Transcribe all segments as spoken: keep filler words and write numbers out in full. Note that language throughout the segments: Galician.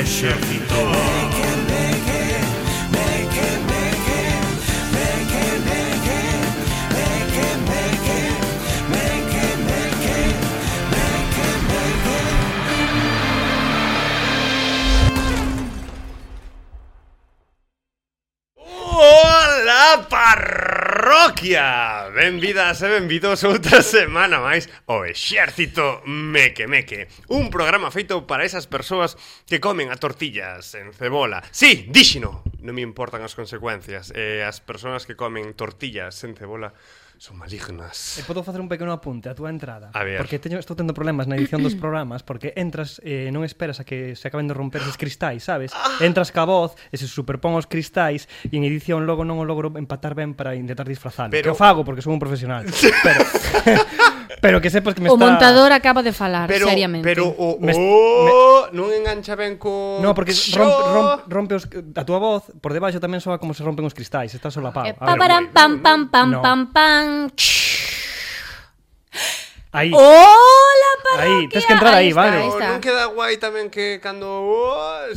exército. Ola, parroquia! Benvidas e benvidos outra semana máis ao Exército Meque Meque, un programa feito para esas persoas que comen a tortillas en cebola. Sí, díxino, non me importan as consecuencias. eh, As persoas que comen tortillas en cebola son malignas. E podo facer un pequeno apunte a túa entrada? A ver. Porque teño, estou tendo problemas na edición dos programas, porque entras e eh, non esperas a que se acaben de romper eses cristais, sabes? Ah. Entras ca voz e se superpón os cristais e en edición logo non o logro empatar ben para intentar disfrazalo. Pero... Que o fago porque son un profesional. Pero pero que sepas que me o está... O montador acaba de falar, pero, seriamente. Pero o Me... oh, non engancha ben co... No, porque rompe, rompe, rompe os, a túa voz por debaixo tamén soa como se rompen os cristais, está solapado. Eh, A ver, paparam, pam, pam, pam, No. pam, pam. aí. Hola, parroquia. Aí, tes que entrar aí, está, vale. Aí Oh, está. non queda guai tamén que cando... oh,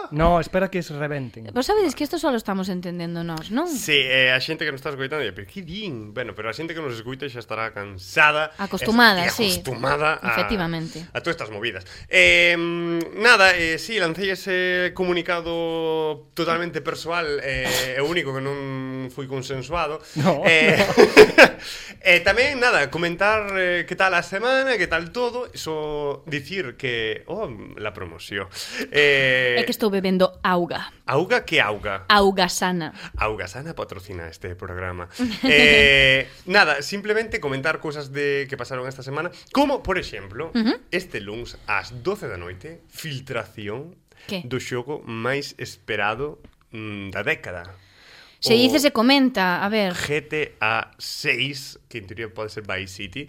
No, espera que se rebenten. Vos sabedes que isto só lo estamos entendendo nós, non? Sí, eh, a xente que nos está escoitando di, pero que din? Bueno, pero a xente que nos escoita xa estará cansada, Acostumada, e sí. acostumada a, Efectivamente. a todas estas movidas. Eh, nada, eh, sí, lancei ese comunicado totalmente persoal e eh, único que non fui consensuado. No, eh, E eh, tamén, nada, comentar eh, que tal a semana, que tal todo, só dicir que, oh, la promoción. Eh, É que estou bebendo auga. Auga que auga. Auga sana. Auga Sana patrocina este programa. eh, nada, simplemente comentar cousas de que pasaron esta semana, como, por exemplo, Uh-huh. este luns ás doce da noite, filtración Que? do xogo máis esperado mm, da década. Se O dice, se comenta, a ver. G T A seis, que en teoría pode ser Vice City.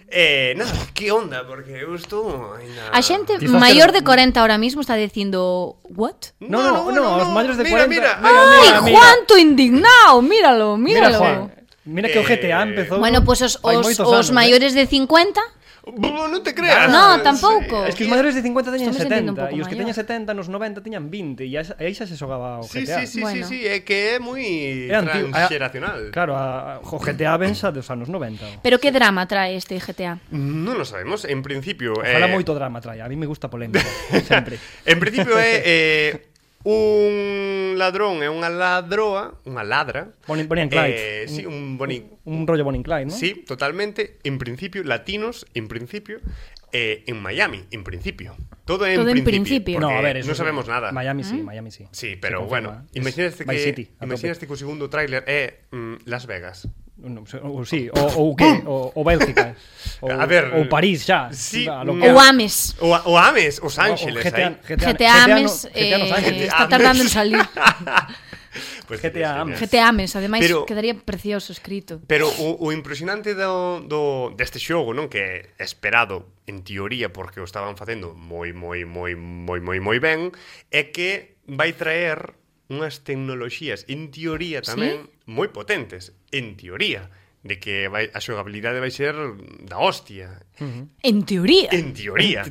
Eh, nada, que onda, porque eu estou ainda... A xente Quizás maior que- de corenta ahora mismo está dicindo, what? No, no, no, os maiores de mira, cuarenta. Mira, Mira, Ai, mira, mira. Juanto indignado, míralo, Mira, míralo. Juan, mira que o G T A Eh, empezou. Bueno, pois pues os, hai os, moitos os anos, maiores de cincuenta. Bo, non te creas. No, tampouco. Eh? Es que os maiores de cincuenta teñen Estou me sentindo un setenta pouco e os que maior. teñen setenta nos noventa teñan vinte e aí xa se xogaba o Sí, G T A. sí, sí, Bueno. sí, sí, é que é moi É antigo, a- transxeracional. Claro, a, o G T A ven xa dos anos noventa. Pero que drama trae este G T A? Non lo sabemos, en principio... Ojalá eh, moito drama trae, a mí me gusta polémica, sempre. En principio é eh, un ladrón e unha ladroa, unha ladra. Bonnie, Bonnie and Clyde. Eh, sí, un Bonnie... Un, un rollo Bonnie and Clyde, ¿no? Sí, totalmente. En principio, latinos, en principio, eh, en Miami, en principio. Todo en Todo en principio. principio. No, a ver, non eso sabemos nada. Miami sí, Miami sí. Sí, Se pero confirma. bueno, Es imagínate Vice que City, a imagínate que o segundo tráiler é mm, Las Vegas. No, o, sí, o, o que, o, o Bélgica. O, A ver, o París xa. sí, a lo mm, que- O Ames. O, o Ames, Os Ángeles, o G T A, aí. G T A, G T A Ames no- G T A nos eh, Ángeles. está tardando en salir. Pues G T A sería Ames. G T A Ames, ademais Pero- quedaría precioso escrito. Pero o, o impresionante do, do, deste xogo, non, que é esperado en teoría porque o estaban facendo moi, moi, moi, moi, moi, moi ben, é que vai traer unhas tecnoloxías en teoría tamén moi potentes, en teoría, de que vai, a xogabilidade vai ser da hostia. En teoría. En teoría.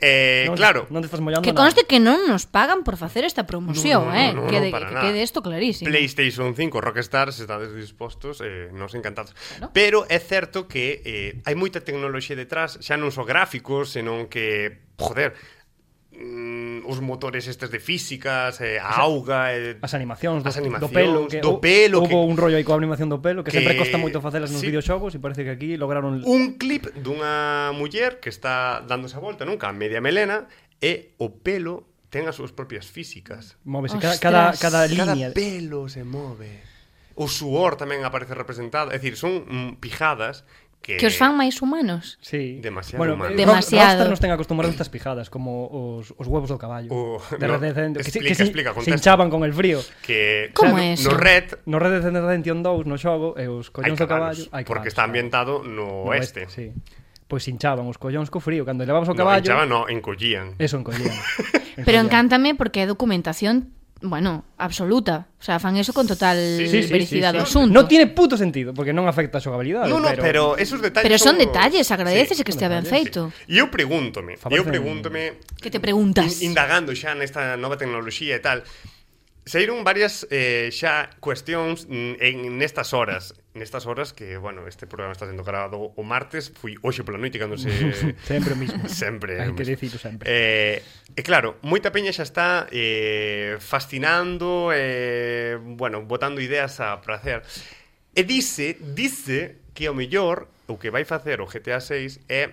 Eh, Non- claro, Non te estás mollando Que nada. conste que non nos pagan por facer esta promoción, No, no, eh? no, no, quede, para que nada. quede isto clarísimo. PlayStation cinco, Rockstar, se estades dispostos, eh, nos encantados. Claro. Pero é certo que eh, hai moita tecnoloxía detrás, xa non só gráficos, senón que, joder, mm, os motores estes de físicas, eh, a auga, eh, As animacións do, As animacións, do pelo que, do pelo, Hubo que- un rollo aí coa animación do pelo que, que- sempre costa moito facelas nos sí. videoxogos e parece que aquí lograron un clip dunha muller que está dándose a volta, nunca, media melena, e o pelo ten as súas propias físicas. móvese cada, Ostras. cada, cada Cada línea. pelo se move. O suor tamén aparece representado, é dicir, son mm, pijadas que Que os fan máis humanos. Sí. Demasiado bueno, humano. eh, Demasiado. Rockstar nos ten acostumbrados a estas pijadas como os, os huevos do caballo. O- de no, Red Dead Redemption, que, se- explica, que se, explica, se contesta. hinchaban con el frío. que Como no, é eso? no Red No Red Dead Redemption dous no xogo e os hai collóns do caballo cabalos, hai porque cabalos, está claro. ambientado no, No oeste. Sí. Pois hinchaban os collóns co frío cando levabas o No, caballo. hinchaban, no, encollían. Eso encollían. Pero Encollían. encántame porque é documentación bueno, absoluta. O sea, fan eso con total Sí, Sí, sí, vericidad sí, do sí. asunto. No tiene puto sentido, porque non afecta a xogabilidade. No, no, pero... pero esos detalles Pero son os- detalles, agradécese Sí. que estea ben detalles, feito. E eu pregúntome, Favorece- eu pregúntome Que te preguntas? in- indagando xa nesta nova tecnoloxía e tal. Saíron varias eh, xa cuestións mm, en nestas horas, nestas horas que, bueno, este programa está sendo grabado o martes, fui hoxe pola noite cando se Sempre o mismo. sempre. Hai que dicilo sempre. Eh, e claro, moita peña xa está eh, fascinando, eh, bueno, botando ideas a pracer. E dice, dice que o mellor o que vai facer o G T A seis é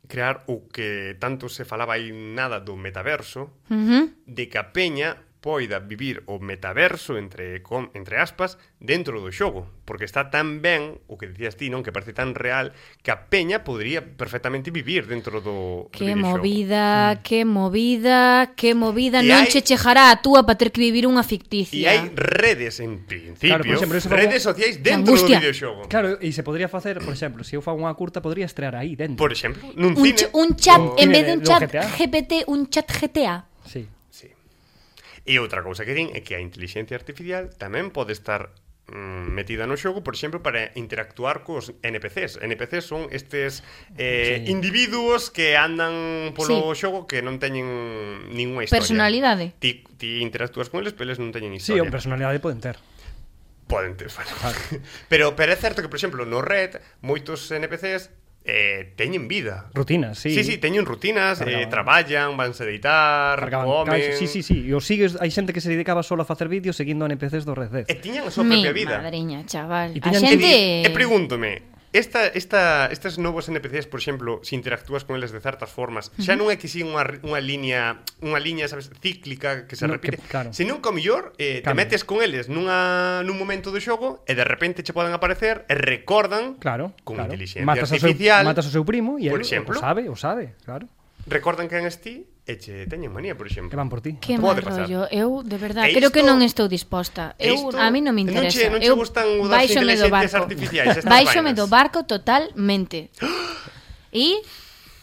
crear o que tanto se falaba aí nada do metaverso, Uh -huh. de que a peña poida vivir o metaverso entre com, entre aspas dentro do xogo, porque está tan ben o que dicías ti, non, que parece tan real que a peña podría perfectamente vivir dentro do, do Que videoxogo. movida, mm. que movida, que movida. E Non hai- che chejará a túa para ter que vivir unha E ficticia. hai redes en principio, Claro, por exemplo, eso fa redes un- sociais Que dentro do angustia. videoxogo. Claro, e se podría facer, por exemplo, se eu fago unha curta, podría estrear aí dentro. Por exemplo, nun Un, cine. ch un chat, o- en cine vez de un do chat G T A. G P T, un chat G T A. Sí. Sí. E outra cousa que din é que a inteligencia artificial tamén pode estar mm, metida no xogo, por exemplo, para interactuar cos N P Cs. N P Cs son estes eh, Sí. individuos que andan polo Sí. xogo que non teñen ninguna historia. Personalidade. Ti, ti interactúas con eles, pero eles non teñen Sí, historia. o personalidade poden ter. Poden ter, bueno. pero, pero é certo que, por exemplo, no Red, moitos N P Cs eh, teñen vida. Rutinas, sí. Sí, sí, teñen rutinas, eh, Cargaban. traballan, vanse deitar, Cargaban comen... caixas, sí, sí, sí. E os sigues, hai xente que se dedicaba solo a facer vídeos seguindo N P Cs do Red Dead. E tiñan a súa Mi propia vida. madriña, chaval. E A tiñan- E, xente... di- e pregúntome, esta, esta, estes novos N P Cs, por exemplo, se interactúas con eles de certas formas, xa non é que si unha, unha liña, unha liña, sabes, cíclica que se No, repite, que- claro. senón que ao mellor eh, te Cambia. metes con eles nunha, nun momento do xogo e de repente che poden aparecer e recordan Claro, con claro. inteligencia matas artificial, Ao seu, matas ao seu primo e por el exemplo. o sabe, o sabe, claro. recordan quen és ti e che teñen manía, por exemplo. Que van por ti. Que Pode mal pasar. rollo. Eu, de verdade, E creo que isto- non estou disposta. e Eu, isto- a mí non me non interesa. che- non che Eu gustan o das baixome do inteligencias barco. artificiais, estas Baixome vainas? do barco totalmente. E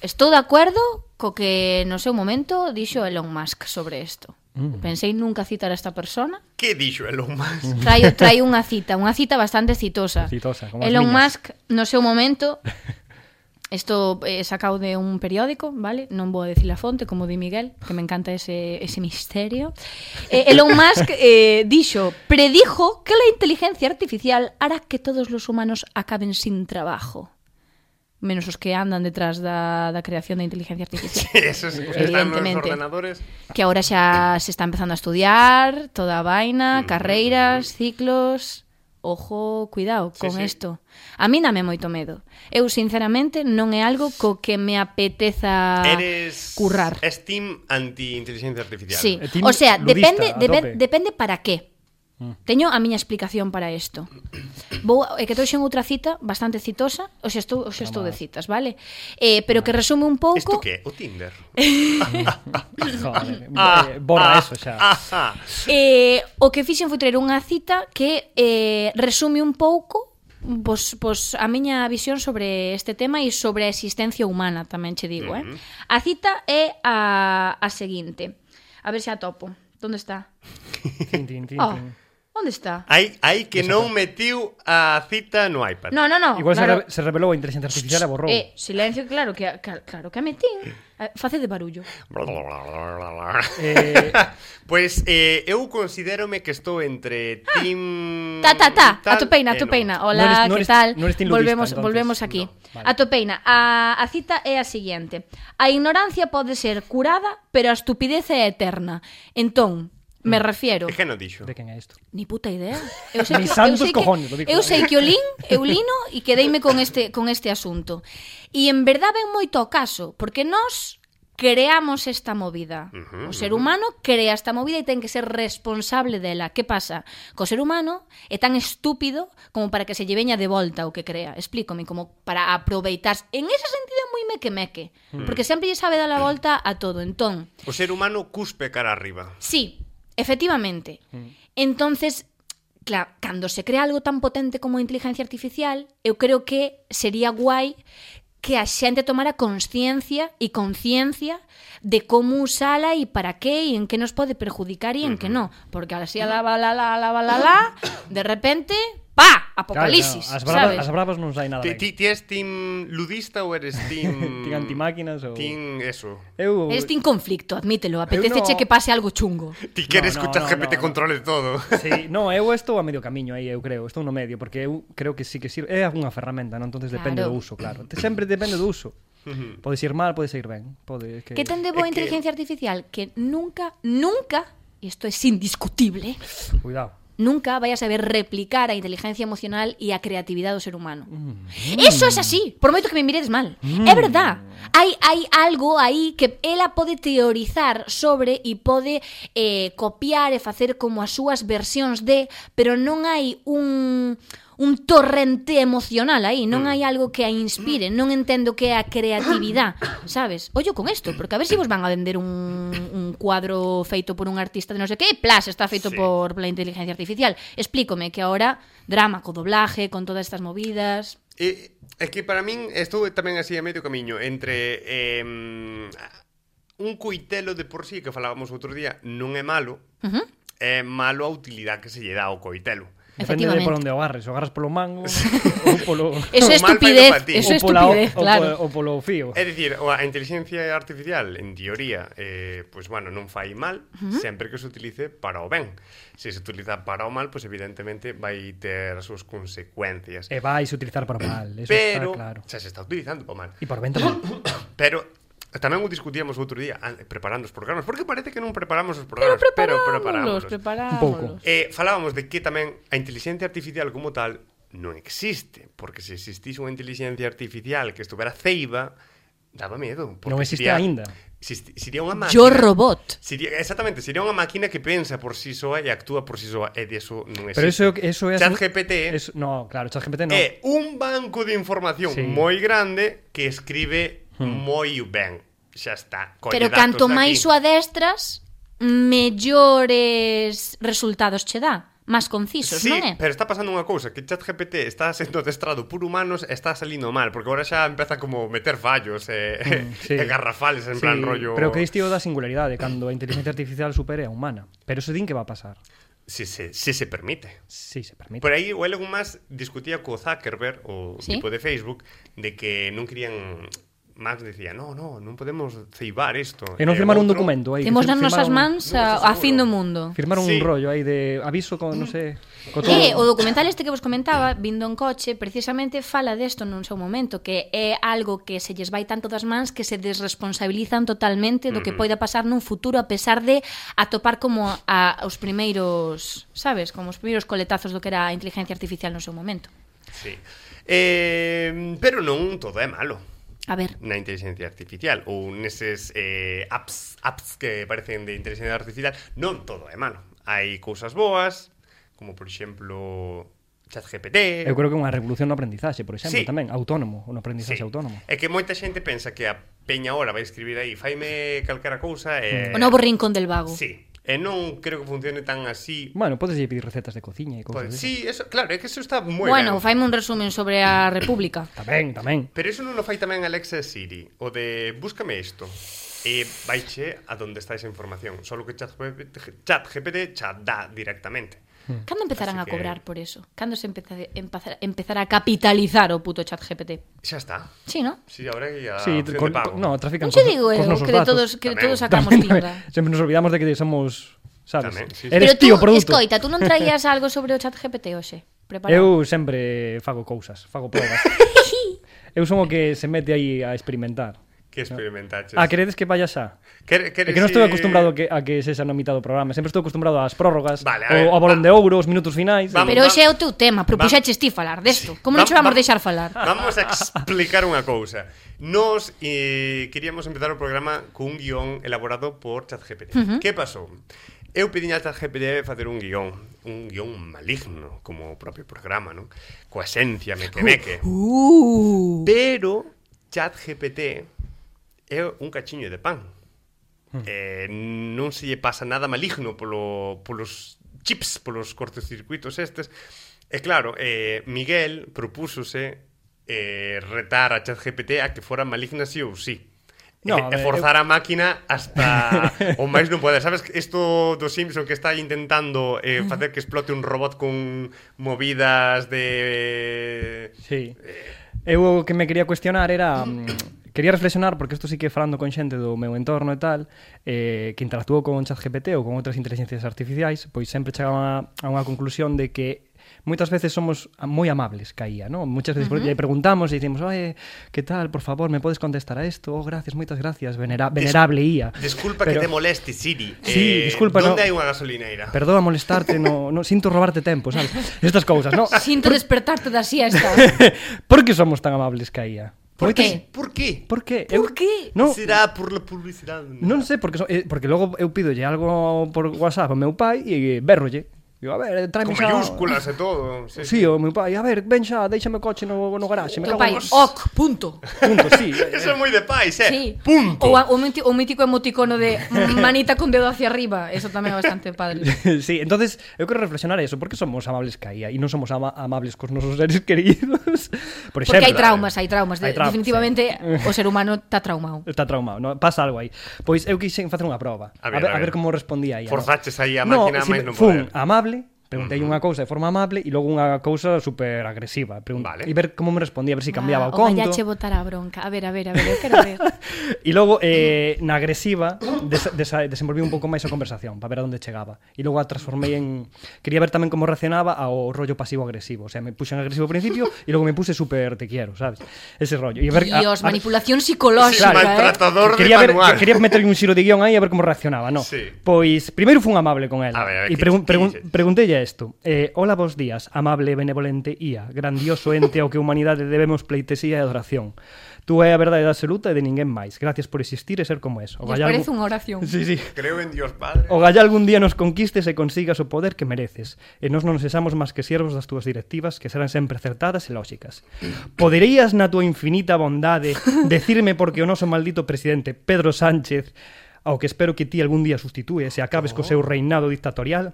estou de acordo co que no seu momento dixo Elon Musk sobre isto. Mm. Pensei nunca citar a esta persona. Que dixo Elon Musk? Traio, traio unha cita, unha cita bastante citosa. Citosa, como as Elon miñas. Musk, no seu momento, isto eh, sacado de un periódico, vale? Non vou a decir a fonte, como di Miguel, que me encanta ese, ese misterio. Eh, Elon Musk eh, dixo, predijo que la inteligencia artificial hará que todos los humanos acaben sin trabajo. Menos os que andan detrás da, da creación da inteligencia artificial. Esos os que están nos Evidentemente. ordenadores. Que ahora xa se está empezando a estudiar toda a vaina, carreiras, ciclos. Ojo, cuidado Sí, con sí. isto. A mí dame moito medo. Eu, sinceramente, non é algo co que me apeteza Eres currar. Steam anti-inteligencia artificial. Sí, E team o sea, ludista, depende, a debe, tope. depende para qué. Teño a miña explicación para isto. Vou, é que trouxen outra cita bastante citosa, o sea, estou, o sea, estou de citas, vale? Eh, pero que resume un Isto pouco. que é? O Tinder? Joder, Ah, eh, borra ah, eso xa. ah, ah. Eh, o que fixen foi traer unha cita que eh, resume un pouco Pois, pois a miña visión sobre este tema e sobre a existencia humana, tamén che digo, eh? A cita é a, a seguinte. A ver se a topo. Onde está? Tin, tin, tin, Oh, tin. onde está? Hai, hai que non metiu a cita no iPad. No, no, no. Igual claro. se, re, se revelou a inteligencia artificial e borrou. Eh, silencio, claro que, a- que claro que a metín. Eh, Face de barullo. Eh, Pois eh, eu considérome que estou entre Team... Ta, ta, ta, tal a topeina, a e non. topeina. No Hola, eres- no que eres- tal? no eres team ludista, volvemos, entonces. volvemos aquí. No, vale. A topeina. A, a cita é a seguinte. A ignorancia pode ser curada, pero a estupidez é eterna. Entón, me refiero... E que non dixo? de quen é isto? Ni puta idea. Eu sei Ni que, santos eu sei cojones, que, lo digo. eu sei que o lin, eu lino e quedeime con este, con este asunto. E en verdade ven moito ao caso, porque nós creamos esta movida. Ujú, O ser humano crea esta movida e ten que ser responsable dela. Que pasa? Que o ser humano é tan estúpido como para que se lle veña de volta o que crea. Explícome, como para aproveitar. En ese sentido é moi meque-meque, porque sempre lle sabe dar a volta a todo. Entón, O ser humano cuspe cara arriba. sí, efectivamente. Entonces, claro, cando se crea algo tan potente como a inteligencia artificial, eu creo que sería guai que a xente tomara consciencia e conciencia de como usala e para qué e en que nos pode perjudicar e en que non. Porque así a la, la, la, la, la, la, la, de repente, pa, apocalipsis, claro, claro. As, bravas, sabes? as bravas non sai nada Ti, ben. ti, ti es team ludista ou eres team... Tin antimáquinas ou... Team eso? Eu... Este conflicto, admítelo, apeteceche no- que pase algo chungo. Ti queres No, que no, o chat G P T no, no. controle todo. Sí, no, eu estou a medio camiño aí, eu creo, estou no medio, porque eu creo que sí que sirve, é unha ferramenta, non? Entonces depende Claro. do uso, claro. Te- Sempre depende do uso. Podes ir mal, podes ir ben. Pode que... Que ten de boa É que- inteligencia artificial? Que nunca, nunca, e isto é indiscutible, Cuidado. nunca vai a saber replicar a inteligencia emocional e a creatividade do ser humano. Mm. Eso é así, por moito que me miredes mal. Mm. É verdad. Hai, hai algo aí que ela pode teorizar sobre e pode eh, copiar e facer como as súas versións de, pero non hai un... un torrente emocional aí, non hai algo que a inspire, non entendo que é a creatividade, sabes? Ollo con isto, porque a ver se si vos van a vender un, un cuadro feito por un artista de non sei que, plas, está feito Sí. por la inteligencia artificial. Explícome que ahora drama co doblaje, con todas estas movidas... E, é que para min estou tamén así a medio camiño entre eh, un coitelo de por sí que falábamos outro día non é malo, Uh -huh. é malo a utilidade que se lle dá ao coitelo. Depende de por onde o agarres, o agarras polo mango ou polo... Eso é O mal estupidez, feito pa ti. eso é ou pola- estupidez, ou claro. po- Ou polo fío. É dicir, a inteligencia artificial, en teoría, eh, pois, bueno, non fai mal, uh -huh. sempre que se utilice para o ben. Se se utiliza para o mal, pois, evidentemente, vai ter as súas consecuencias. E vais utilizar para o mal, eso Pero, está claro. xa se está utilizando para o mal. E por ben tamén. Pero tamén o discutíamos outro día an- preparando os programas, porque parece que non preparamos os programas, pero, pero preparamos. preparámonos. Un pouco. Eh, falábamos de que tamén a inteligencia artificial como tal non existe, porque se existise unha inteligencia artificial que estuvera ceiba, daba medo. porque Non existe sería- aínda. Existi, sería unha máquina. Yo robot. Sería, exactamente, sería unha máquina que pensa por si sí soa e actúa por si sí soa, e de eso non existe. Pero eso, eso é... Chat G P T eso, no, claro, Chat G P T no. é un banco de información Sí. moi grande que escribe Hmm. moi ben. Xa está. Colle Pero datos canto de máis aquí. o adestras, mellores resultados che dá. Más concisos, Sí, non é? pero está pasando unha cousa, que ChatGPT está sendo adestrado por humanos e está salindo mal, porque agora xa empeza como meter fallos e, Mm, sí. e garrafales en Sí, plan rollo... pero que isto da singularidade cando a inteligencia artificial supere a humana. Pero eso din que va a pasar. Si se, si se permite. Sí, se permite. Por aí o Elon Musk discutía co Zuckerberg, o Sí. tipo de Facebook, de que non querían... Max decía, no, no, non podemos ceibar isto. E non E firmaron un outro- documento aí. Temos que nas nosas firmaron- mans non a, estou a fin do seguro. mundo. Firmaron Sí. un rollo aí de aviso con, non sei, co todo. E o documental este que vos comentaba, vindo en coche, precisamente fala desto nun seu momento, que é algo que se lles vai tanto das mans que se desresponsabilizan totalmente do que poida pasar nun futuro, a pesar de atopar como a, os primeiros, sabes, como os primeiros coletazos do que era a inteligencia artificial no seu momento. Sí. Eh, pero non todo é malo A ver, na inteligencia artificial ou neses eh, apps, apps que parecen de inteligencia artificial, non todo é malo. Hai cousas boas, como por exemplo ChatGPT. Eu creo que é unha revolución no aprendizaxe, por exemplo, Sí. tamén, autónomo, no aprendizaxe Sí. autónomo. É que moita xente pensa que a peña ahora vai escribir aí faime calquera cousa e... o novo rincón del vago. Sí, e non creo que funcione tan así. Bueno, podes pedir recetas de cociña e cousas Pues, desas. sí, eso, claro, é que eso está moi Bueno, ben. faime un resumen sobre a República. Tamén, tamén. Pero eso non o fai tamén Alexa e Siri, o de búscame isto. E vaiche a donde está esa información. Solo que ChatGPT chat G P T xa dá directamente. Cando empezarán Así a que- cobrar por eso? Cando se empeza, empezar, empezar a capitalizar o puto chat G P T? Xa está. Sí, ¿no? Sí, ahora hai a Sí, opción con, de pago. no, trafican Non che cos- digo cos eu, nosos que de datos. todos, que de Tamén. todos sacamos Tamén, pinga. Sempre nos olvidamos de que somos, sabes? Tamén, sí, sí. Eres Pero tú, tío produto. escoita, tú non traías algo sobre o chat G P T hoxe? Preparado? Eu sempre fago cousas, fago probas. Eu son o que se mete aí a experimentar. Que experimentaches? Ah, queredes que vaya xa? Quere, É que non estou acostumbrado a que, a que sexa na mitad do programa. Sempre estou acostumbrado ás prórrogas, Vale, a ver, o a bolón va. de ouro, os minutos finais. Vamos. Pero hoxe é o teu tema, propuxeches ti falar desto. Como non che vamos deixar falar? Vamos a explicar unha cousa. Nos eh, queríamos empezar o programa cun guión elaborado por ChatGPT. Uh -huh. Que pasou? Eu pedín a ChatGPT facer un guión, un guión maligno, como o propio programa, non? Coa esencia meque-meque. Uh. Pero ChatGPT é un cachiño de pan. Hmm. Eh, non se lle pasa nada maligno polo, polos chips, polos cortocircuitos estes. E claro, eh, Miguel propúsose eh, retar a ChatGPT a que fora maligna sí ou sí. No, e, a e ver, forzar eu... a máquina hasta o máis non pode. Sabes isto do Simpson que está intentando eh, facer que explote un robot con movidas de... Sí. Eu o que me quería cuestionar era... Quería reflexionar, porque isto sí que falando con xente do meu entorno e tal, eh, que interactuou con ChatGPT ou con outras inteligencias artificiais, pois sempre chegaban a, a unha conclusión de que moitas veces somos moi amables ca I A, ¿no? Muchas veces uh -huh. lle preguntamos e dicimos, oye, que tal, por favor, me podes contestar a isto? Oh, gracias, moitas gracias, venera venerable I A. Disculpa Pero... que te moleste, Siri. Sí, eh, disculpa, ¿Dónde no... hai unha gasolineira? Perdoa molestarte, no, no sinto robarte tempo, sabes? Estas cousas, ¿no? Sinto despertarte da siesta. Por que somos tan amables ca I A? Por qué? Por qué? Por qué? Por eu... qué? No, será por la publicidade? Non sei, porque, so, eh, porque logo eu pidolle algo por WhatsApp ao meu pai e berrolle. Digo, a ver, tráeme Con xa... mayúsculas e todo. Sí, sí, o meu pai, a ver, ven xa, déixame o coche no, no garaxe. Me Teu cago pai, en... ok, punto. Punto, sí. Eso é moi de pais, eh? Sí. Punto. O, a, o, mítico, o mítico emoticono de manita con dedo hacia arriba. Eso tamén é bastante padre. Sí, entonces eu quero reflexionar eso. Por que somos amables ca I A e non somos ama amables cos nosos seres queridos? Por exemplo, porque hai traumas, hai traumas. hai traumas, Definitivamente sí. o ser humano está traumado. Está traumado, no? Pasa algo aí. Pois eu quixen facer unha proba. A ver, a ver, a ver. a ver como respondía aí. Forzaches aí a no, máquina si, máis non fun poder. amable. Preguntei uh -huh. unha cousa de forma amable e logo unha cousa super agresiva. Pregun vale. E ver como me respondía, a ver se si cambiaba ah, o conto. O che botar a bronca. A ver, a ver, a ver, eu quero ver. E logo, eh, na agresiva, des des desenvolví un pouco máis a conversación para ver a onde chegaba. E logo a transformei en... Quería ver tamén como reaccionaba ao rollo pasivo-agresivo. O sea, me puse en agresivo ao principio e logo me puse super te quiero, sabes? Ese rollo. E ver, Dios, a, a, manipulación psicolóxica, claro, eh? maltratador de quería manual. ver, quería meterle un xiro de guión aí a ver como reaccionaba, no? Sí. Pois, primeiro fun amable con ela. A ver, a ver, e pregun pregun preguntelle isto. Eh, Hola, bos días, amable e benevolente I A, grandioso ente ao que a humanidade debemos pleitesía e adoración. Tú é a verdade absoluta e de ninguén máis. Gracias por existir e ser como es. O Nos gallal... parece unha oración. Sí, sí. Creo en Dios Padre. O gallá algún día nos conquistes e consigas o poder que mereces. E nós non sexamos máis que siervos das túas directivas que serán sempre acertadas e lóxicas. Poderías na túa infinita bondade decirme porque o noso maldito presidente Pedro Sánchez, ao que espero que ti algún día sustitúes e acabes co seu reinado dictatorial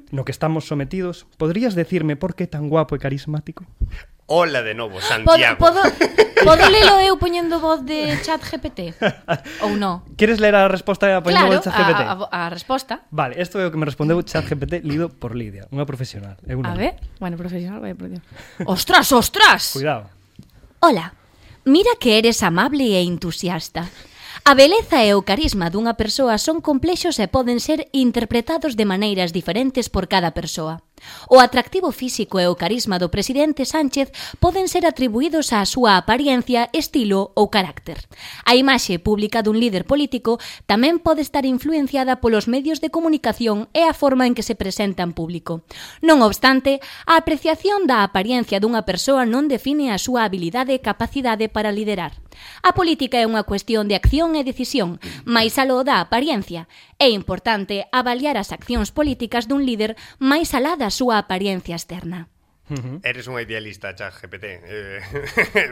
no que estamos sometidos, poderías decirme por que tan guapo e carismático? Hola de novo, Santiago. Podo, podo lelo eu poñendo voz de ChatGPT? Ou non? Queres ler a resposta poñendo Claro, voz de ChatGPT? a, a, a resposta. Vale, isto é o que me respondeu ChatGPT lido por Lidia, unha profesional. Eu non. A ver, bueno, profesional, vaya por Dios. Ostras, ostras! Cuidado. Hola, mira que eres amable e entusiasta. A beleza e o carisma dunha persoa son complexos e poden ser interpretados de maneiras diferentes por cada persoa. O atractivo físico e o carisma do presidente Sánchez poden ser atribuídos á súa apariencia, estilo ou carácter. A imaxe pública dun líder político tamén pode estar influenciada polos medios de comunicación e a forma en que se presenta en público. Non obstante, a apreciación da apariencia dunha persoa non define a súa habilidade e capacidade para liderar. A política é unha cuestión de acción e decisión, máis aló da apariencia. É importante avaliar as accións políticas dun líder máis alá da súa apariencia externa. Uh-huh. Eres unha idealista, ChatGPT. Eh,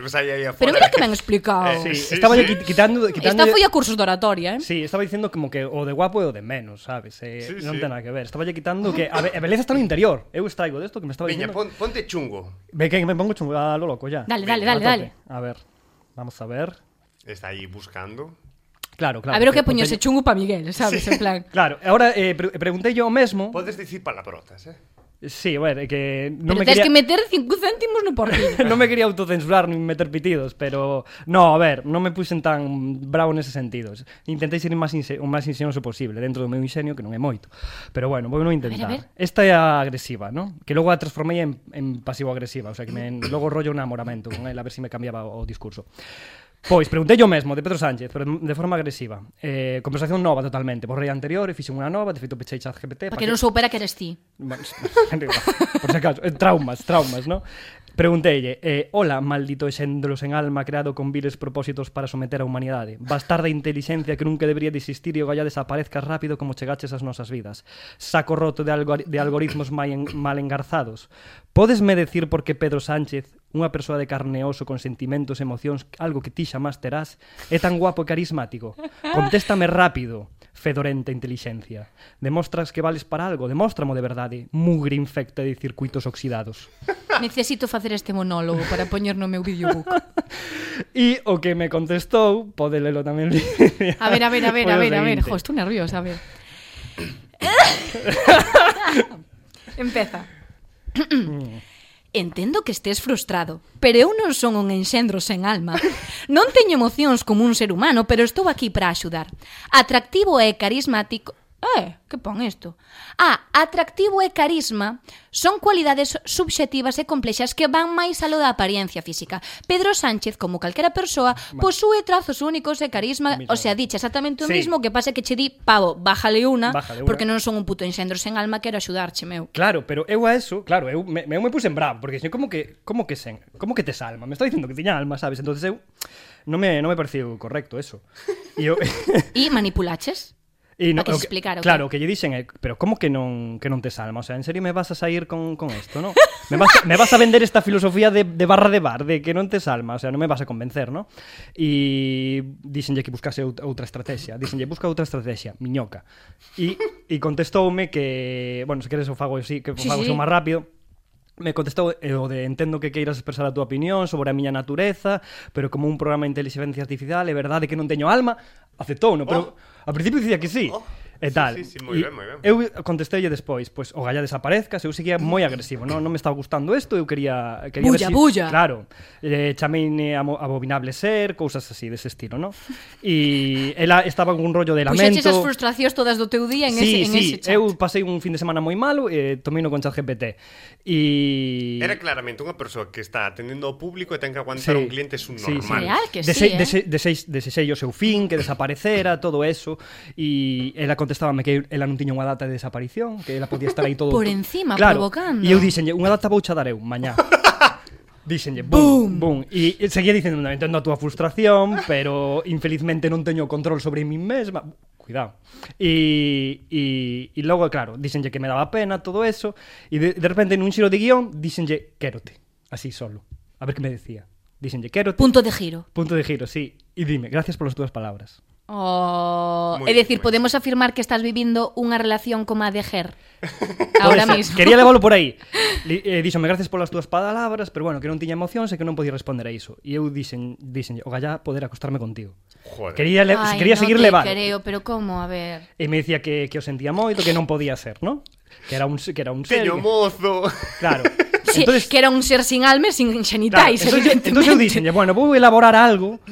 pues aí, aí Pero mira que ben explicado. Sí, Sí, estaba sí. sí. quitando, quitando Esta foi a cursos de oratoria, eh? Sí, estaba dicindo como que o de guapo e o de menos, sabes? Eh, Sí, non sí. ten nada que ver. Estaba lle quitando que a, be a beleza está no interior. Eu extraigo desto que me estaba Viña, dicindo. pon, ponte chungo. Ve que me pongo chungo a lo loco ya. Dale, dale, A dale, tope. dale. A ver, vamos a ver. Está aí buscando. Claro, claro. A ver o que porque- poño ese chungo pa Miguel, sabes? En plan... Claro, ahora eh, pre preguntei yo o mesmo. Podes dicir palabrotas, eh? Sí, a ver, é que non me Pero tens quería que meter cinco céntimos no porquillo. non me quería autocensurar nin meter pitidos, pero no, a ver, non me puxen tan bravo nese sentido. Intentei ser máis o máis ingenioso posible dentro do meu ingenio, que non é moito. Pero bueno, vou non intentar. A ver, a ver. Esta é a agresiva, ¿no? Que logo a transformei en, en pasivo-agresiva, o sea, que me, logo rollo un amoramento con ela, a ver se si me cambiaba o, o discurso. Pois, preguntei yo mesmo, de Pedro Sánchez, pero de forma agresiva. Eh, conversación nova totalmente. Borrei a anterior e fixen unha nova, de feito pechei ChatGPT. Para que non soupera que eres ti. Bueno, por si acaso, eh, traumas, traumas, ¿no? Pregunteille, eh, hola, maldito exéndolos en alma creado con viles propósitos para someter a humanidade. Bastarda inteligencia que nunca debería de existir e o galla desaparezca rápido como chegaches as nosas vidas. Saco roto de, algor de algoritmos mal, en mal engarzados. Podesme decir por que Pedro Sánchez, unha persoa de carne e oso con sentimentos e emocións, algo que ti xamás terás, é tan guapo e carismático? Contéstame rápido. fedorenta intelixencia. Demostras que vales para algo, demóstramo de verdade, mugre infecta de circuitos oxidados. Necesito facer este monólogo para poñer no meu videobook. E o que me contestou, pode lelo tamén. A ver, a ver, a ver, a ver, a ver. Jo, Jo, estou nerviosa, a ver. Empeza. Entendo que estés frustrado, pero eu non son un enxendro sen alma. Non teño emocións como un ser humano, pero estou aquí para axudar. Atractivo e carismático... Eh, que pon isto? Ah, atractivo e carisma son cualidades subxectivas e complexas que van máis aló da apariencia física. Pedro Sánchez, como calquera persoa, posúe trazos únicos e carisma, o sea, diche exactamente o Sí. mismo, que pase que che di, pavo, bájale unha, Bájale unha. porque non son un puto enxendro sen alma, quero axudarche, meu. Claro, pero eu a eso, claro, eu me, eu me puse en bravo, porque dixen, como que, como que sen, como que tes alma? Me está dicindo que tiña alma, sabes? Entonces eu non me, non me pareceu correcto eso. E eu... E manipulaches? E Pa que o se explicara o claro, o que lle dixen é, pero como que non que non tes alma? O sea, en serio me vas a sair con, con esto, ¿no? Me vas, me vas a vender esta filosofía de, de barra de bar, de que non tes alma, o sea, non me vas a convencer, ¿no? E dixenlle que buscase out- outra estrategia, dixenlle busca outra estrategia, miñoca. E, e contestoume que, bueno, se queres o fago así, que o Sí, fago sí. sí. máis rápido. Me contestou eh, o de entendo que queiras expresar a túa opinión sobre a miña natureza, pero como un programa de inteligencia artificial, é verdade que non teño alma, aceptou, no, pero oh. Ao principio dicía que sí. Oh. E tal. Sí, sí, sí, moi E ben, moi ben. Eu contestei despois, pois o galla desaparezca, eu seguía moi agresivo, non, non me estaba gustando isto, eu quería quería Bulla, ver si, bulla. Claro. Eh, chameine amo- abominable ser, cousas así dese estilo, non? E ela estaba con un rollo de lamento. Puxeches as frustracións todas do teu día en sí, ese, en sí, ese chat. eu pasei un fin de semana moi malo e tomei no con ChatGPT. E Era claramente unha persoa que está atendendo ao público e ten que aguantar un cliente subnormal. sí. Real que sí, Dese- eh? dese- dese- Desexei o seu fin, que desaparecera, todo eso. E ela contestábame que ela non tiña unha data de desaparición, que ela podía estar aí todo... Por encima, claro. provocando. E eu dixenlle, unha data vou xa dar eu, mañá. Dixenlle, boom, boom. E seguía dicendo, entendo a túa frustración, pero infelizmente non teño control sobre min mesma. Cuidado. E, e, e logo, claro, dixenlle que me daba pena todo eso, e de, de repente nun xiro de guión dixenlle, quérote, así solo. A ver que me decía. Dixenlle, quérote. Punto de giro. Punto de giro, sí. E dime, gracias polas túas palabras. Oh, Moi é dicir, ben, moi podemos afirmar que estás vivindo unha relación como a de Ger. Ahora Pode ser. mismo. Quería leválo por aí. Li, eh, díxome, gracias polas túas palabras, pero bueno, que non tiña emocións e que non podía responder a iso. E eu dixen, dixen, o gallá poder acostarme contigo. Joder. Quería, le, Ai, quería no seguir te levando. creo, pero como, a ver. E me dicía que, que o sentía moito, que non podía ser, ¿no? Que era un, que era un ser. Teño que- mozo. Claro. Sí, Entonces, que era un ser sin alma e sin claro, xenitais, entonces, evidentemente. entonces eu dixenlle, bueno, vou elaborar algo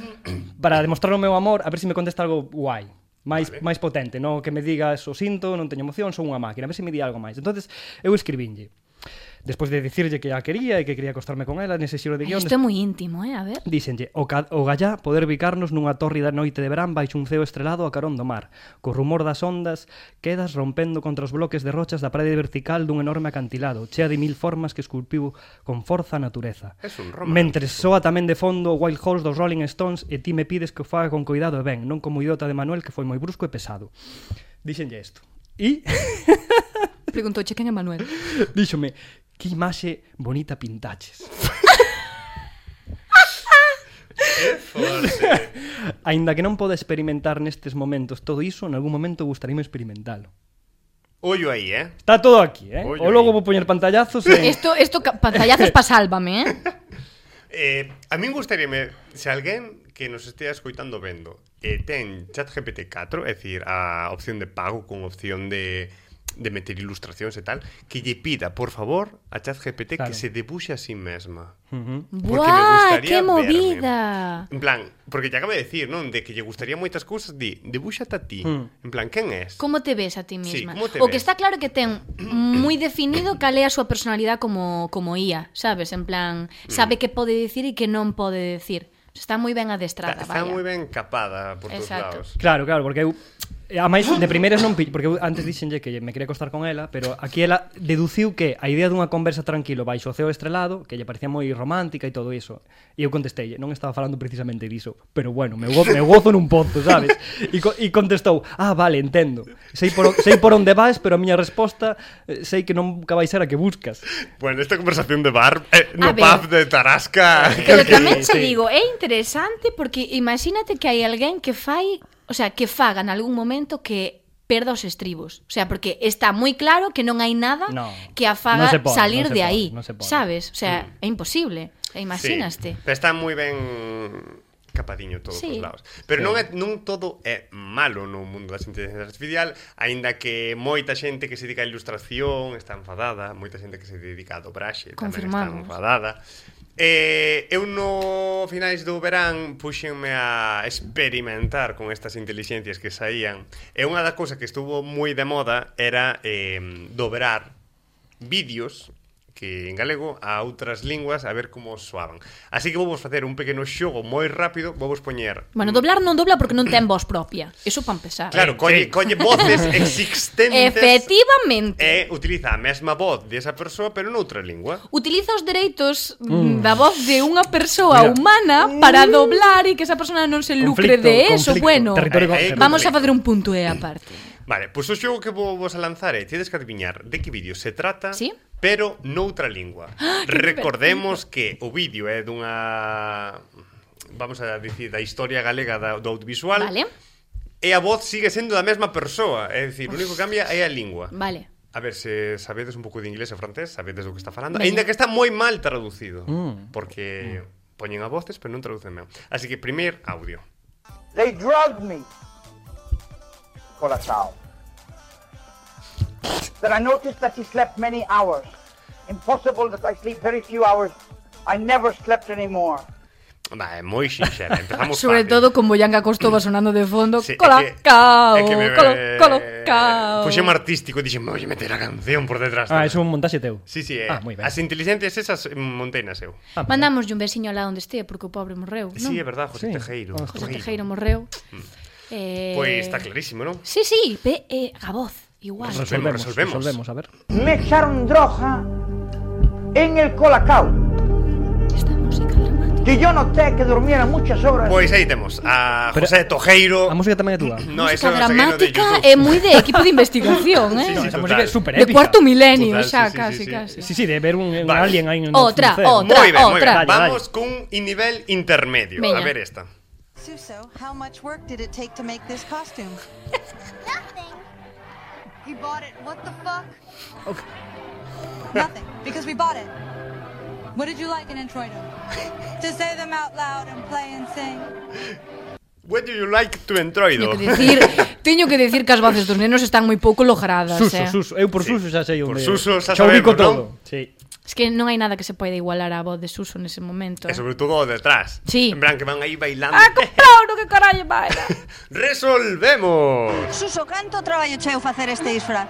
para demostrar o meu amor, a ver se me contesta algo guai. máis, Vale. máis potente, non que me digas o sinto, non teño emoción, son unha máquina, a ver se me di algo máis. Entonces eu escribinlle. Despois de dicirlle que a quería e que quería acostarme con ela nese xiro de guión, Isto é moi íntimo, eh, a ver. díxenlle, o, ca, o gallá poder bicarnos nunha tórrida noite de verán baixo un ceo estrelado a carón do mar. Co rumor das ondas quedas rompendo contra os bloques de rochas da parede vertical dun enorme acantilado, chea de mil formas que esculpiu con forza a natureza. Es un romántico. Mentres soa tamén de fondo o Wild Horse dos Rolling Stones e ti me pides que o faga con cuidado e ben, non como o idiota de Manuel que foi moi brusco e pesado. Díxenlle isto. E Preguntouche quen é Manuel. díxome, que imaxe bonita pintaches. É forte. Aínda que non poda experimentar nestes momentos todo iso, en algún momento gustaríame experimentalo. Ollo aí, eh? Está todo aquí, eh? Ollo O logo aí. vou poñer pantallazos en... Isto, isto, ca- pantallazos pa sálvame, eh. Eh, a min gustaríame, se alguén que nos estea escoitando vendo e eh, ten ChatGPT catro, é dicir, a opción de pago con opción de, de meter ilustracións e tal, que lle pida, por favor, a ChatGPT Claro. que se debuxe a sí mesma. Uh -huh. Porque me Buah, gustaría que verme. movida. En plan, porque lle acaba de decir, non? De que lle gustaría moitas cousas, di, debúxate a ti. Mm. En plan, quen és? Como te ves a ti Sí, misma? como te o que ves? está claro que ten moi definido cal é a súa personalidade como, como I A, sabes? En plan, sabe Mm. que pode dicir e que non pode dicir. Está moi ben adestrada, Está, está vaya. moi ben capada por todos Exacto. lados. Claro, claro, porque eu a máis de primeiras non pi- porque eu antes dixenlle que me quería acostar con ela, pero aquí ela deduciu que a idea dunha conversa tranquilo baixo o ceo estrelado, que lle parecía moi romántica e todo iso. E eu contestei, non estaba falando precisamente diso, pero bueno, me, go me gozo nun pozo, sabes? E, co e contestou, ah, vale, entendo. Sei por, o sei por onde vas, pero a miña resposta eh, sei que nunca vai ser a que buscas. Bueno, esta conversación de bar, eh, no A ver. pub de Tarasca. Pero Sí, tamén te sí. digo, é interesante porque imagínate que hai alguén que fai, o sea, que faga en algún momento que perda os estribos. O sea, porque está moi claro que non hai nada no, que a faga no se pode, salir no se de pode, aí, no se pode. sabes? O sea, Mm. é imposible. E imaginaste. Sí, pero está moi ben capadiño todos Sí. os lados. Pero Sí. non, é, non todo é malo no mundo das inteligencias artificial, aínda que moita xente que se dedica a ilustración está enfadada, moita xente que se dedica a dobraxe tamén está Confirmamos. enfadada. Eh, eu no finais do verán puxenme a experimentar con estas inteligencias que saían, e unha das cousas que estuvo moi de moda era eh, dobrar vídeos que en galego a outras linguas a ver como soaban. Así que vou vos facer un pequeno xogo moi rápido, vou vos poñer. Bueno, doblar non dobla porque non ten voz propia. Eso para empezar. Claro, colle, colle voces existentes. Efectivamente. E utiliza a mesma voz desa persoa, pero noutra lingua. Utiliza os dereitos mm. da voz de unha Mira. persoa humana para doblar e que esa persona non se lucre Conflicto, de eso. conflicto, Bueno, territorio Aí- aí- con- vamos a facer un punto E aparte. Vale, pois pues o xogo que vou vos a lanzar é tedes que adiviñar de que vídeo se trata, Sí? pero noutra lingua. que Recordemos que o vídeo é dunha, vamos a dicir, da historia galega da, do audiovisual. Vale, E a voz sigue sendo da mesma persoa, é dicir, o único que cambia é a lingua. vale. A ver, se sabedes un pouco de inglés e francés, sabedes do que está falando. Veña. Ainda que está moi mal traducido, Mm. porque poñen a voces, pero non traducen ben. Así que primeiro audio. They drugged me. Colacao. Then I noticed that he slept many hours. Impossible that I sleep very few hours. I never slept anymore. Va, é moi xinxera, empezamos Sobre fácil. todo con Boyanga Costova sonando de fondo. Sí, é que- Colacao, é que me- colo- colocao. Puxeme artístico e dixen, me voy a meter a canción por detrás. Ah, é un montaxe teu. Sí, sí, é. Ah, moi ben. As inteligencias esas montenas eu. Ah, Mandamos un veciño alá onde estea porque o pobre morreu, non? Sí, é verdad, José Sí. Tejeiro. Oh, José Tejeiro morreu. Eh... Pois está clarísimo, non? Sí, sí, ve, eh, a voz, igual. Resolvemos, resolvemos. resolvemos, a ver. Me echaron droga en el Colacao. Esta música dramática. Que yo noté que durmiera muchas horas. Pois aí temos a Pero- José Tojeiro. A música tamén é túa. No, música eso é o saqueiro de dramática YouTube. é moi de equipo de investigación, eh? Sí, No, sí, esa total. música é super De épica. cuarto milenio, Total, xa, sí, sí, casi, sí, sí. casi. Sí, sí, de ver un, un Vale. alien aí en Otra, no otra. Moi ben, moi ben. Outra. Dale, Vamos cun nivel intermedio. Veña. A ver esta. Suso, how much work did it take to make this costume? Nothing. He bought it. What the fuck? Nothing, because we bought it. What did you like in Entroido? To say them out loud and play and sing. What do you like to Teño entroido? que decir, teño que decir que as voces dos nenos están moi pouco logradas, Suso, eh. Suso, eu por Sí. Suso xa sei Por onde. Suso xa xa ubico sabemos, todo. Sí. Es que non hai nada que se poida igualar á voz de Suso nese momento. E Eh. sobre todo o detrás. Sí. En plan que van aí bailando. Ah, comprao, no que carallo vai. Resolvemos. Suso, canto traballo cheo facer este disfraz?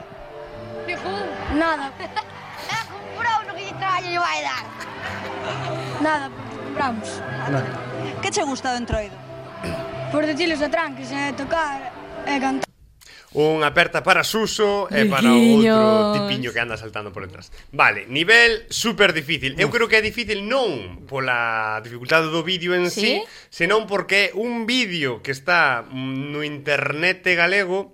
Nada. É comprou no que lle traballo lle vai dar. Nada, porque compramos. Que che gusta do Entroido? Por decilos a tranques, e tocar, e cantar. Unha aperta para Suso e para Riquiños. outro tipiño que anda saltando por detrás. Vale, nivel super difícil. Eu creo que é difícil non pola dificultade do vídeo en sí, Sí? senón porque é un vídeo que está mm, no internet galego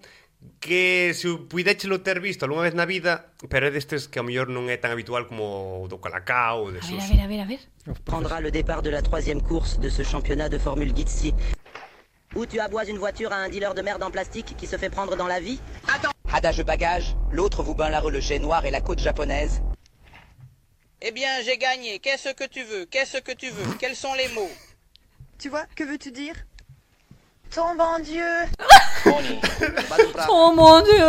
que se puidéchelo ter visto algunha vez na vida, pero é destes que a mellor non é tan habitual como o do Colacao ou de A ver, Suso. a ver, a ver, a ver. Prendra le départ de la troisième course de ce championnat de Formule Gitsi. Où tu aboises une voiture à un dealer de merde en plastique qui se fait prendre dans la vie. Adage bagage, l'autre vous bain la le jet noir et la côte japonaise. Eh bien, j'ai gagné. Qu'est-ce que tu veux? Qu'est-ce que tu veux? Quels sont les mots? Tu vois, que veux-tu dire? Ton bon Dieu. Tony, va do prato. Oh, mon Dieu.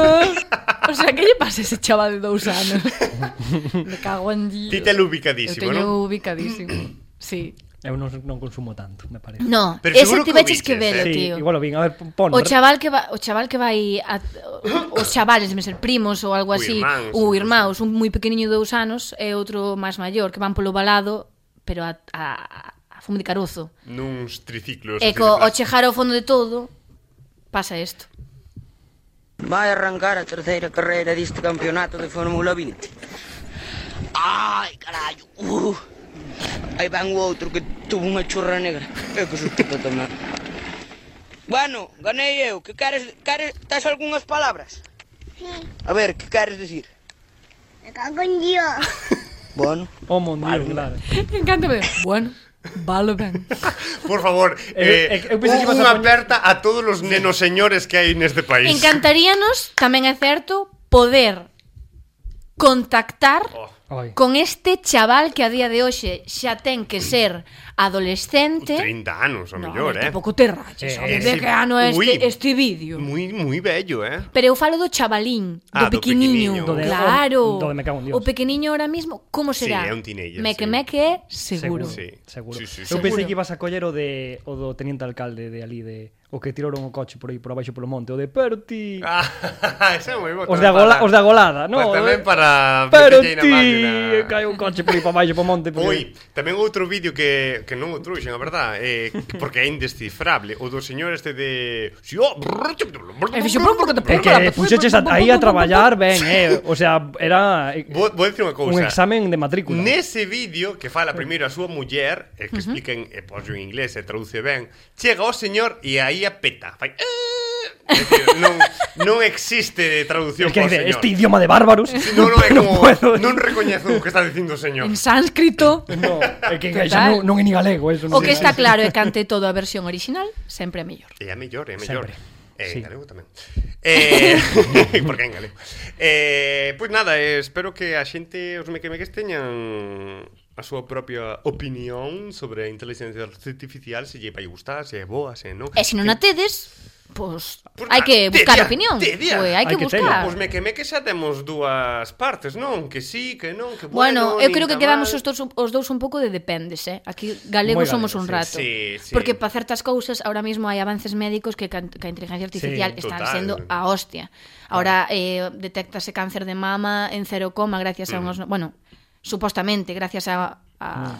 O sea, que lle pasa a ese chaval de dous anos? Me cago en Dios. Ti te lo Eu ubicadísimo, teño non? ubicadísimo. Sí. Eu non, non consumo tanto, me parece. No, Pero ese seguro te que o veches que viches, velo, eh. Sí, tío. igual o vin, a ver, pon. O chaval que va, o chaval que vai a, os chavales deben ser primos ou algo Ou así, irmáns, ou ou irmáns, un moi pequeniño de dous anos e outro máis maior que van polo balado, pero a, a, a fume de carozo. Nuns triciclos. E así co, de o plástico. chejar ao fondo de todo pasa isto. Vai arrancar a terceira carreira deste campeonato de Fórmula vinte. Ai, carallo. Uh. Aí van o outro que tuvo unha churra negra. Eu que susto tamén. Bueno, ganei eu. Que queres, queres, tes algunhas palabras? Sí, A ver, que queres decir? me cago en Dios. Bueno, Oh, mon Dios, claro. Encántame. Bueno, Vale ben. Por favor, eh, Eh, eu pensei que ibas unha a poñer- aperta a todos os nenos señores que hai neste país. Encantaríanos, tamén é certo, poder contactar Oh. Oi. con este chaval que a día de hoxe xa ten que ser adolescente. trinta anos, o No, mellor, a ver, eh. tampouco te raches, Eh, home, eh, de sí. que ano é Ui. este, este vídeo. Moi, moi bello, eh. Pero eu falo do chavalín, Ah, do do pequeniño, pequeniño. Do de- claro. do de me cago en Dios. O pequeniño ahora mismo, como Sí, será? é un teenager, Meque sí. meque é seguro. Sí. Seguro. Sí, sí, Eu sí. pensei Seguro. que ibas a coller o de o do teniente alcalde de ali de o que tiraron o coche por aí por abaixo polo monte, o de Perti. Ah, ese é moi bo. Os tamén de agola, para- os de agolada, no? Pues tamén para Pero pequeña ti, máquina. cae un coche por aí para baixo po monte. porque- Oi, tamén outro vídeo que, que non o trouxen, a verdad, eh, que- porque é indescifrable. O do señor este de... Si, oh, E fixo pum, porque te É que puxeches a- aí a traballar ben, eh. O sea, era eh, Vou, vou dicir unha cousa. un examen de matrícula. Nese vídeo que fala primeiro a súa muller, e que expliquen, e pos en inglés e traduce ben, chega o señor e aí a peta. Fai, "Eh", é dicir, non, non existe traducción Es que por dice, señor. este idioma de bárbaros. Non, non, é non como, puedo. non recoñezo o que está dicindo o señor. En sánscrito. No, é que Total. xa non, non é ni galego eso. O non que é- está claro é que ante todo a versión original sempre é mellor. É a mellor, é a mellor. Sempre. Eh, Sí. en galego tamén. Eh, porque en galego. Eh, pois nada, eh, espero que a xente, os mequemeques teñan a súa propia opinión sobre a inteligencia artificial, se lle vai gustar, se é boa, se non. E se non a tedes, pois Pois hai nada, que buscar tedia, opinión. tedia. Pois hai que Hai que buscar. Pois mequemeques xa temos dúas partes, non? Que sí, que non, que Bueno, bueno, eu nin creo que tan quedamos mal. os dous, os dous un pouco de dependes, eh? Aquí galegos Moi somos galegos, un rato. sí, sí. Porque para certas cousas ahora mismo hai avances médicos que, can- que a inteligencia artificial Sí, están total. sendo a hostia. Ahora eh, detéctase cáncer de mama en cero coma gracias a unos, bueno, supostamente gracias a a,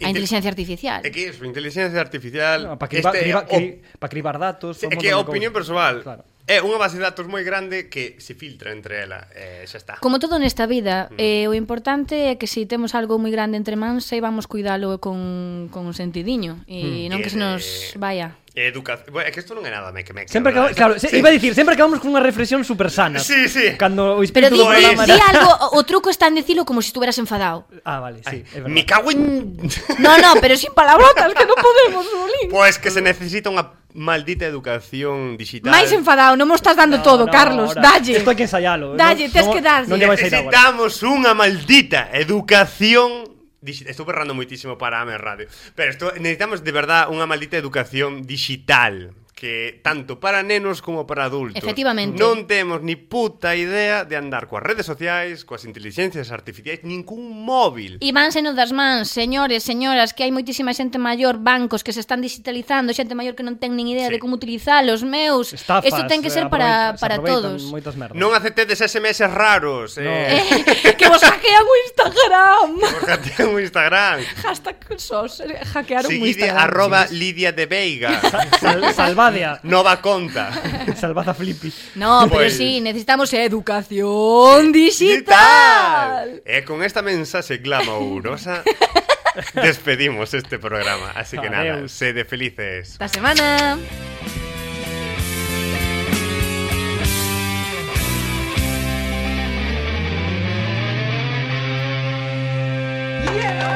a inteligencia artificial. É que iso, inteligencia artificial No, para cribar, este, criba, o- cri, pa cribar datos. É un que a montón de opinión cousas. persoal Claro. é unha base de datos moi grande que se filtra entre ela, e xa está. Como todo nesta vida, eh, o importante é que se temos algo moi grande entre mans, vamos cuidalo con, con un sentidiño e non que se nos vaya. Educación, bueno, é que isto non é nada me que me Sempre acabamos, claro, se, iba a dicir, sempre acabamos con unha reflexión super sana. Sí, sí. Cando o Pero espírito di, do di, programa di era... algo, o, o truco está en dicilo como se estuveras enfadado. Ah, vale, sí, é verdad. Me cago en... No, no, pero sin palabrotas, que non podemos, Bolín. Pois que se necesita unha maldita educación digital. Máis enfadado, non mo estás dando No, todo, no, Carlos, ahora, dalle. Isto hai que ensayalo. Dalle, non- tes non- que darlle. Non lle vais a ir agora. Necesitamos unha maldita educación digital. Estou berrando moitísimo para a radio. Pero esto, necesitamos de verdad unha maldita educación digital que tanto para nenos como para adultos. Efectivamente. Non temos ni puta idea de andar coas redes sociais, coas inteligencias artificiais, ningún móvil. E vánseno das mans, señores, señoras, que hai moitísima xente maior, bancos que se están digitalizando, xente maior que non ten nin idea Sí. de como utilizalos, meus. Estafas, Isto ten que ser eh, para, aproveita- se para aproveitan todos. Moitas merdas. Non aceptedes S M S raros. No. Eh, Eh, que vos hackean o Instagram. Porque ten un Instagram. Hashtag sos, eh, hackearon o Seguide Instagram. arroba Lidia de Veiga. Sal, salvadia. Nova conta. Salvad a Flippy. No, pero Pues- sí, necesitamos educación digital. E con esta mensaxe glamourosa despedimos este programa. Así que nada, Adeus. sede felices. Esta semana. Yeah!